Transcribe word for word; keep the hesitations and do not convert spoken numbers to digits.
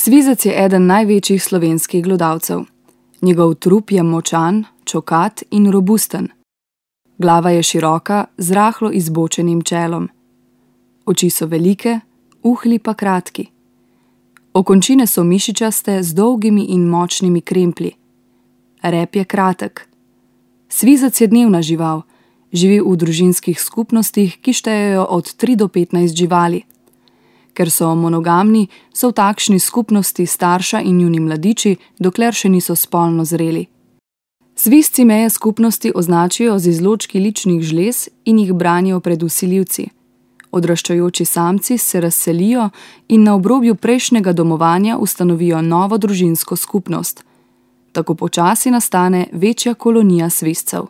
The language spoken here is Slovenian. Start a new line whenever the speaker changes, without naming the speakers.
Svizec je eden največjih slovenskih glodavcev. Njegov trup je močan, čokat in robusten. Glava je široka, z rahlo izbočenim čelom. Oči so velike, uhlji pa kratki. Okončine so mišičaste z dolgimi in močnimi kremplji. Rep je kratek. Svizec je dnevna žival, živi v družinskih skupnostih, ki štejejo od tri do petnajst živali. Ker so monogamni, so v takšni skupnosti starša in njuni mladiči, dokler še niso spolno zreli. Svizci meje skupnosti označijo z izločki ličnih žlez in jih branijo pred vsiljivci. Odraščajoči samci se razselijo in na obrobju prejšnjega domovanja ustanovijo novo družinsko skupnost. Tako počasi nastane večja kolonija svizcev.